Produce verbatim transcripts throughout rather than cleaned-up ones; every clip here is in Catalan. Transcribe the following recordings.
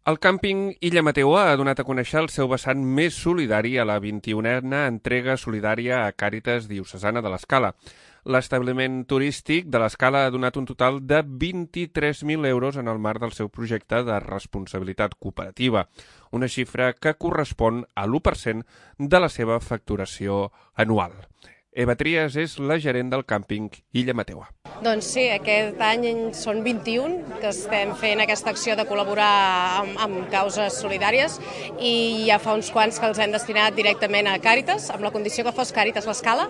El càmping Illa Mateua ha donat a conèixer el seu vessant més solidari a la vint-i-unena entrega solidària a Càritas Diocesana de l'Escala. L'establiment turístic de l'Escala ha donat un total de vint-i-tres mil euros en el marc del seu projecte de responsabilitat cooperativa, una xifra que correspon a l'u per cent de la seva facturació anual. Eva Trias és la gerent del càmping Illa Mateua. Doncs sí, aquest any són vint-i-un que estem fent aquesta acció de col·laborar amb, amb causes solidàries i ja fa uns quants que els hem destinat directament a Càritas, amb la condició que fos Càritas l'Escala,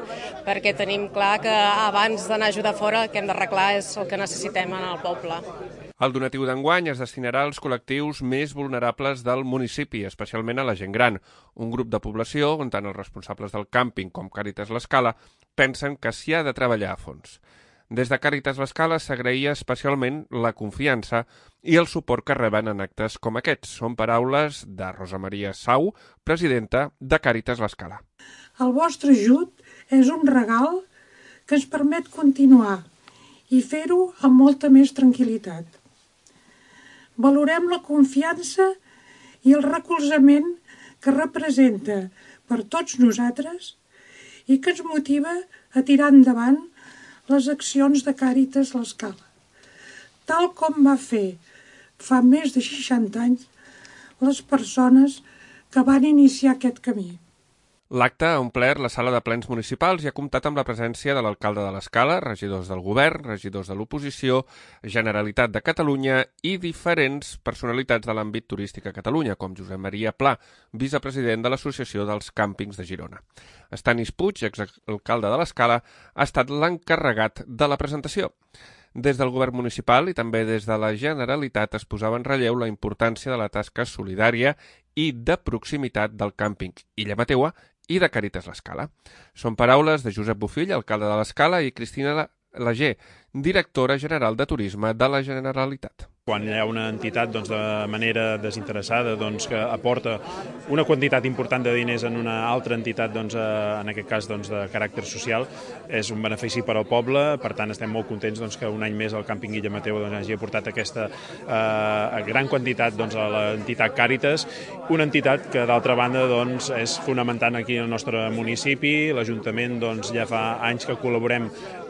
perquè tenim clar que abans d'anar a ajudar fora el que hem d'arreglar és el que necessitem en el poble. El donatiu d'enguany es destinarà als col·lectius més vulnerables del municipi, especialment a la gent gran, un grup de població on tant els responsables del càmping com Càritas l'Escala pensen que s'hi ha de treballar a fons. Des de Càritas l'Escala s'agraïa especialment la confiança i el suport que reben en actes com aquests. Són paraules de Rosa Maria Sau, presidenta de Càritas l'Escala. El vostre ajut és un regal que ens permet continuar i fer-ho amb molta més tranquil·litat. Valorem la confiança i el recolzament que representa per tots nosaltres i que ens motiva a tirar endavant les accions de Càritas l'Escala, tal com va fer fa més de seixanta anys les persones que van iniciar aquest camí. L'acte ha omplert la sala de plens municipals i ha comptat amb la presència de l'alcalde de l'Escala, regidors del govern, regidors de l'oposició, Generalitat de Catalunya i diferents personalitats de l'àmbit turístic a Catalunya, com Josep Maria Pla, vicepresident de l'Associació dels Càmpings de Girona. Estanis Puig, exalcalde de l'Escala, ha estat l'encarregat de la presentació. Des del govern municipal i també des de la Generalitat es posava en relleu la importància de la tasca solidària i de proximitat del càmping Illa Mateua i de Càritas l'Escala. Són paraules de Josep Bofill, alcalde de l'Escala, i Cristina Lager, directora general de Turisme de la Generalitat. Quan hi ha una entitat doncs, de manera desinteressada doncs, que aporta una quantitat important de diners en una altra entitat, doncs, en aquest cas doncs, de caràcter social, és un benefici per al poble. Per tant, estem molt contents doncs, que un any més el càmping Illa Mateua doncs, hagi aportat aquesta eh, gran quantitat doncs, a l'entitat Càritas, una entitat que d'altra banda doncs, és fonamental aquí al nostre municipi. L'Ajuntament doncs, ja fa anys que col·laborem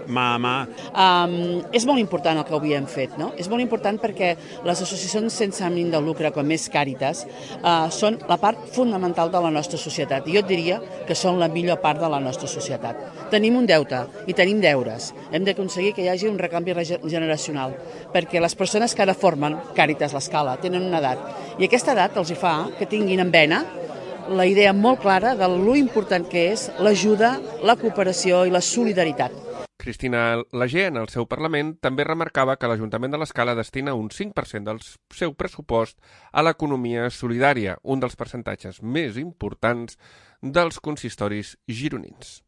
mà a mà. Um, és molt important el que avui hem fet, no? És molt important perquè les associacions sense ànim de lucre, com és Càritas, uh, són la part fonamental de la nostra societat. I jo et diria que són la millor part de la nostra societat. Tenim un deute i tenim deures. Hem d'aconseguir que hi hagi un recanvi generacional, perquè les persones que ara formen Càritas l'Escala tenen una edat, i aquesta edat els hi fa que tinguin en vena la idea molt clara de lo important que és l'ajuda, la cooperació i la solidaritat. Cristina Lager, en el seu Parlament, també remarcava que l'Ajuntament de l'Escala destina un cinc per cent del seu pressupost a l'economia solidària, un dels percentatges més importants dels consistoris gironins.